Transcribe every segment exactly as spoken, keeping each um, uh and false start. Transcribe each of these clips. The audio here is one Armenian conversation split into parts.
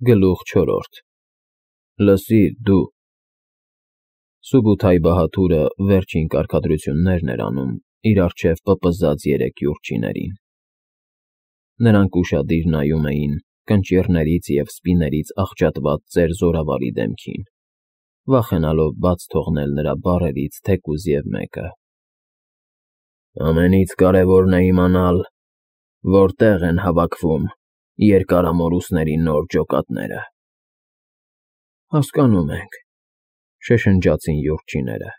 Գլուխ չորրորդ Լսիր, դու… Սուբութայ բահադուրը վերջին կարգադրություններն էր անում իր առջև պպզած երեք յուրջիներին. նրանք ուշադիր նայում էին կնճիռներից և սպիներից աղճատված ծեր զորավարի դեմքին, վախենալով բաց թողնել նրա բառերից թեկուզ և մեկը։ Ամենից կարևորն է իմանալ, որտեղ են հավաքվում երկարամորուսների նոր ջոկատները։ Հասկանում ենք, շշնջացին յուրջիները։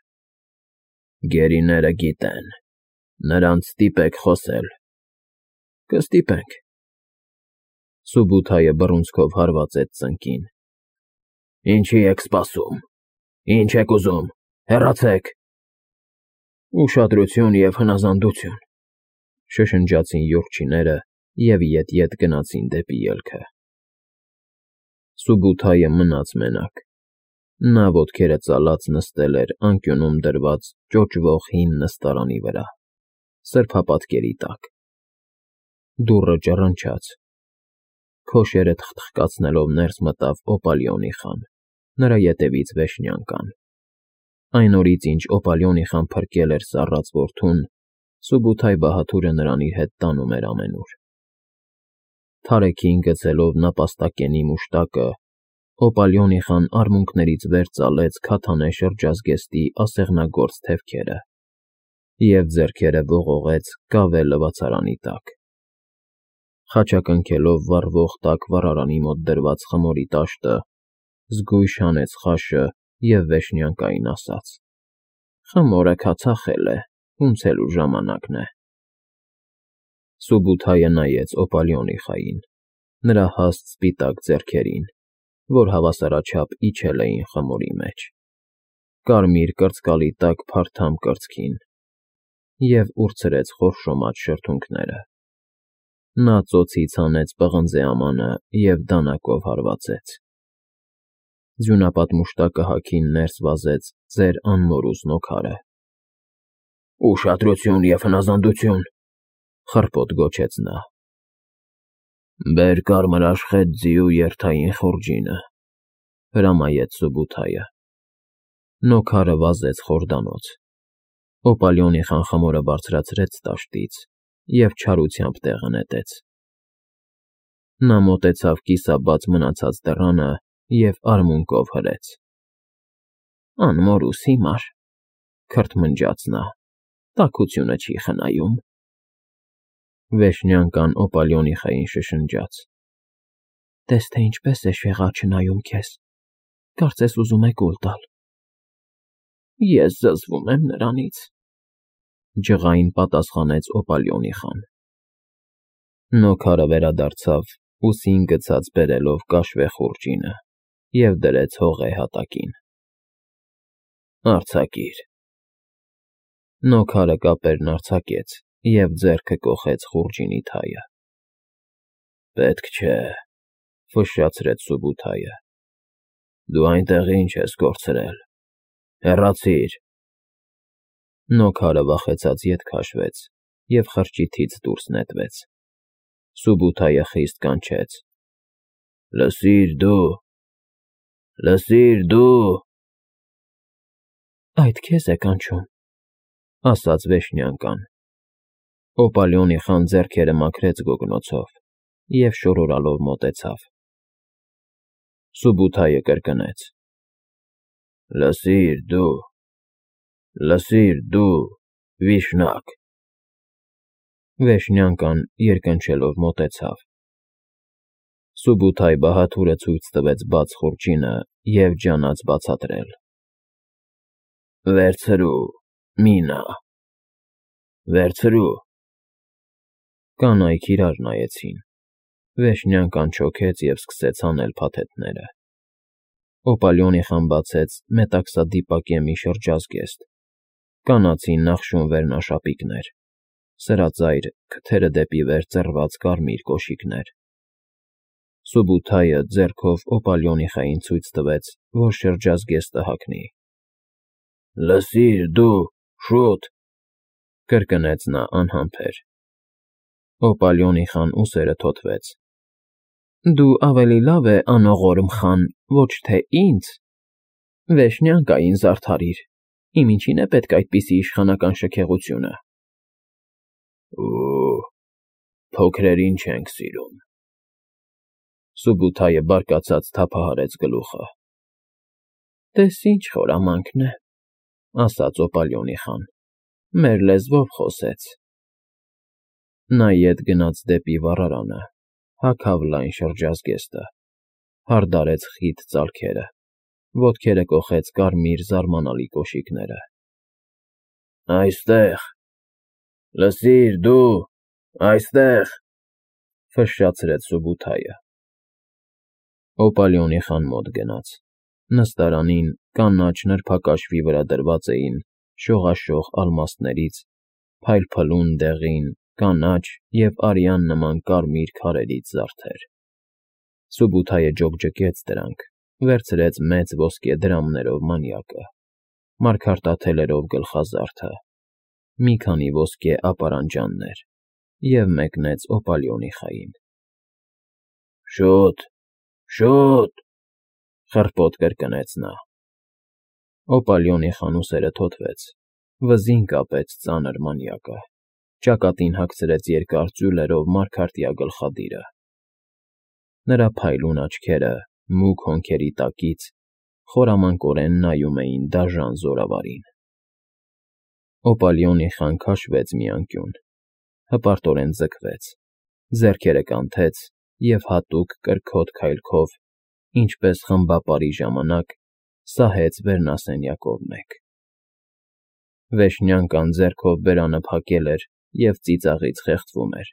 Գերիները գիտեն, նրանց ստիպեք խոսել։ Կստիպենք։ Սուբութայը բռունցքով հարվածեց ծնկին։ Ինչի եք սպասում, ինչ եք ուզում, հեռացեք։ Ուշադրություն և հնազանդություն, շշնջացին յուրջիները և ետ֊ետ գնացին դեպի ելքը։ Սուբութայը մնաց մենակ։ Նա ոտքերը ծալած նստել էր անկյունում դրված ճոճվող հին նստարանի վրա, սրբապատկերի տակ։ Դուռը ճռնչաց։ Քոշերը թխթխկացնելով ներս մտավ Օպալիոնի խան, նրա ետևից Վեշնյանկան։ Այն օրից, ինչ Օպալիոնի խան փրկել էր սառած որդուն, Սուբութայ բահադուրը նրան իր հետ տանում էր ամենուր։ Թարեքին գցելով նապաստակենի մուշտակը, Օպալիոնի խան արմունկներից վեր ծալեց քաթանե շրջազգեստի ասեղնագործ թևքերը և ձեռքերը ողողեց կավե լվացարանի տակ։ Խաչակնքելով վառվող տաք վառարանի մոտ դրված խմորի տաշտը, զգույշ հանեց խաշը և Վեշնյանկային ասաց. Խմորը քացախել է, ունցելու ժամանակն է։ Սուբութայը նայեց Օպալիոնի խային, նրա հաստ սպիտակ ձեռքերին, որ հավասարաչափ իջել էին խմորի մեջ, կարմիր կրծկալի տաք փարթամ կրծքին, և ուրցրեց խորշոմած շրթունքները։ Նա ծոցից հանեց պղնձե ամանը և դանակով հարվածեց։ Ձյունապատ մուշտակը հագին ներս վազեց ծեր անմորուս նոքարը։ Ուշադրություն և հնազանդություն, խռպոտ գոչեց նա։ Բեր կարմր աշխետ ձիու երթային խուրջինը, հրամայեց Սուբութայը։ Նոքարը վազեց խորդանոց։ Օպալիոնի խան խմորը բարձրացրեց տաշտից և չարությամբ տեղը նետեց։ Նա մոտեցավ կիսաբաց մնացած դռանը և արմունկով հրեց։ Անմորուս հիմար, քրթմնջաց նա, տաքությունը չի խնայում։ Վեշնյանկան Օպալիոնի խային շշնջաց. Տես թե ինչպես է շեղա չնայում քեզ, կարծես ուզում է կուլ տալ։ Ես զզվում եմ նրանից, ջղային պատասխանեց Օպալիոնի խան։ Նոքարը վերադարձավ, ուսին գցած բերելով կաշվե խուրջինը և դրեց հողե հատակին։ Արձակիր։ Նոքարը կապերն արձակեց և ձեռքը կոխեց խուրջինի թայը։ Պետք չէ, ֆշշացրեց Սուբութայը։ Դու այնտեղ ինչ ես կորցրել, հեռացիր։ Նոքարը վախեցած ետ քաշվեց և խրճիթից դուրս նետվեց։ Սուբութայը խիստ կանչեց. Լսիր դու, լսիր դու… Այդ քեզ է կանչում, ասաց Վեշնյանկան։ Օպալիոնի խան ձեռքերը մաքրեց գոգնոցով և շորորալով մոտեցավ։ Սուբութայը կրկնեց. Լսիր դու, լսիր դու, վիշնակ… Վեշնյանկան երկնչելով մոտեցավ։ Սուբութայ բահադուրը ցույց տվեց բաց խուրջինը և ջանաց բացատրել. Վերցրու, մի նա… Վերցրու… Կանայք իրար նայեցին։ Վեշնյանկան չոքեց և սկսեց հանել փաթեթները։ Օպալիոնի խան բացեց մետաքսադիպակե մի շրջազգեստ, կանացին նախշուն վերնաշապիկներ, սրածայր, քթերը դեպի վեր ծռված կարմիր կոշիկներ։ Սուբութայը ձեռքով Օպալիոնի խային ցույց տվեց, որ շրջազգեստը հագնի։ Լսիր դու, շուտ… կրկնեց նա անհամբեր։ Օպալիոնի խան ուսերը թոթվեց։ Դու ավելի լավ է անողորմ խան, ոչ թե ինձ, վեշնյակային զարդարիր, իմ ինչին է պետք այդպիսի իշխանական շքեղությունը։ Ու փոքրերին չենք սիրում։ Սուբութայը բարկացած թափահարեց գլուխը։ Տես ինչ խորամանկն է, ասաց Օպալյոնի խան, մեր լեզվով խոսեց։ Նա ետ գնաց դեպի վառարանը, հագավ լայն շրջազգեստը, հարդարեց խիտ ծալքերը, ոտքերը կոխեց կարմիր զարմանալի կոշիկները։ Այստեղ, լսիր դու, այստեղ, ֆշշացրեց Սուբութայը։ Օպալյոնի խան մոտ գնաց, նստարանին կանաչ նրբակաշվի վրա դրված էին շողաշող ալմաստներից, փայլփլուն դեղին, կանաչ և արյան նման կարմիր քարերից զարդեր։ Սուբութայը ջոկջկեց դրանք, վերցրեց մեծ ոսկե դրամներով մանյակը, մարգարտաթելերով գլխազարդը, մի քանի ոսկե ապարանջաններ և մեկնեց Օպալյոնի խային։ Շո՛ւտ, շո՛ւտ, խռպոտ կրկնեց նա։ Օպալյոնի խան ուսերը թոթվեց, վզին կապեց ծանր մանյակը, ճակատին հագցրեց երկար ծյուլերով մարգարտյա գլխադիրը։ Նրա փայլուն աչքերը, մուգ հոնքերի տակից, խորամանկորեն նայում էին դաժան զորավարին։ Օպալյոնի խան քաշվեց մի անկյուն, հպարտորեն ձգվեց, ձեռքերը կանթեց և հատուկ կրքոտ քայլքով, ինչպես խմբապարի ժամանակ, սահեց վերնասենյակով մեկ։ Վեշնյակն ձեռքով բերանը փակել էր և ծիծաղից խեղդվում էր։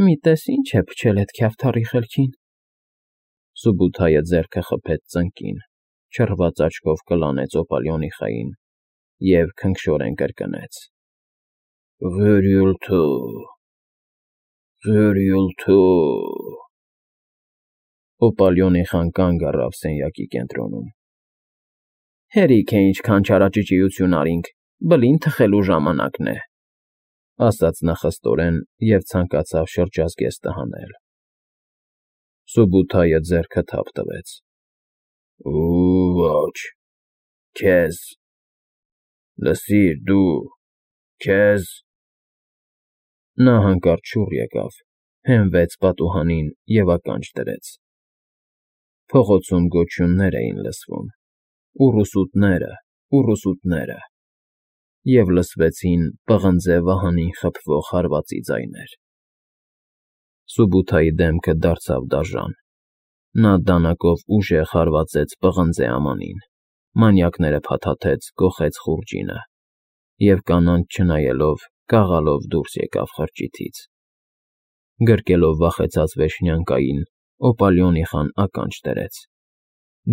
Մի տես ինչ է փչել էդ քյավթառի խելքին։ Սուբութայը ձեռքը խփեց ծնկին, չռված աչքով կլանեց Օպալյոնի խային և քնքշորեն կրկնեց. Ղյուրյուլթու, ղյուրյուլթու… Օպալյոնի խան կանգ առավ սենյակի կենտրոնում։ Հերիք է ինչքան չարաճճիություն արինք, բլին թխելու ժամանակն է, ասաց նա խստորեն և ցանկացավ շրջազգեստը հանել։ Սուբութայը ձեռքը թափ տվեց։ Ու ոչ, քեզ… Լսիր դու, քեզ… Նա հանկարծ շուռ եկավ, հենվեց պատուհանին և ականջ դրեց։ Փողոցում գոչյուններ էին լսվում. ուռուսուտները, ուռուսուտները… և լսվեցին պղնձե վահանին խփվող հարվածի ձայներ։ Սուբութայի դեմքը դարձավ դաժան։ Նա դանակով ուժեղ հարվածեց պղնձե ամանին, մանյակները փաթաթեց, կոխեց խուրջինը և կանանց չնայելով, կաղալով դուրս եկավ խրճիթից։ Գրկելով վախեցած վեշնյակային, Օպալյոնի խան ականջ դրեց։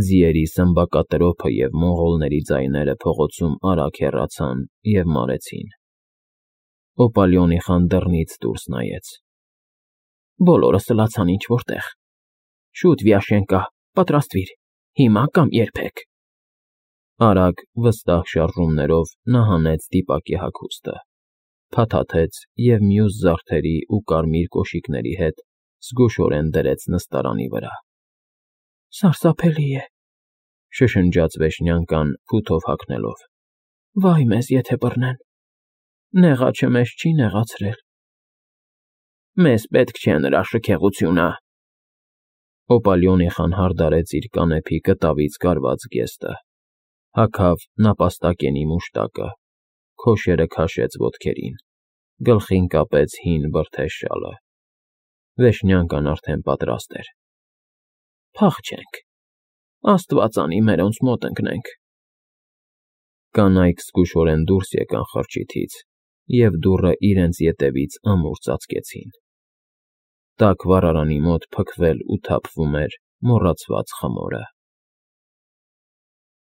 Ձիերի սմբակատրոփը և մոնղոլների ձայները փողոցում արագ հեռացան և մարեցին։ Օպալյոնի խան դռնից դուրս նայեց։ Բոլորը սլացան ինչ֊որ տեղ։ Շուտ, Վիաշենկա, պատրաստվիր, հիմա կամ երբեք… Արագ, վստահ շարժումներով նա հանեց դիպակի հագուստը, փաթաթեց և մյուս զարդերի ու կարմիր կոշիկների հետ զգուշորեն դրեց նստարանի վրա։ Սարսափելի է, շշնջաց վեշնյակն փութով հագնելով։ Վայ մեզ, եթե բռնեն… Նեղաչը մեզ չի նեղացրել։ Մեզ պետք չէ նրա շքեղությունը… Օպալյոնի խան հարդարեց իր կանեփի կտավից կարված զգեստը, հագավ նապաստակենի մուշտակը, քոշերը քաշեց ոտքերին, գլխին կապեց հին բրդե շալը։ Վեշնյակն արդեն պատրաստ էր։ Փախչենք… Աստված անի մերոնց մոտ ընկնենք… Կանայք զգուշորեն դուրս եկան խրճիթից և դուռը իրենց ետևից ամուր ծածկեցին։ Տաք վառարանի մոտ փքվել ու թափվում էր մոռացված խմորը։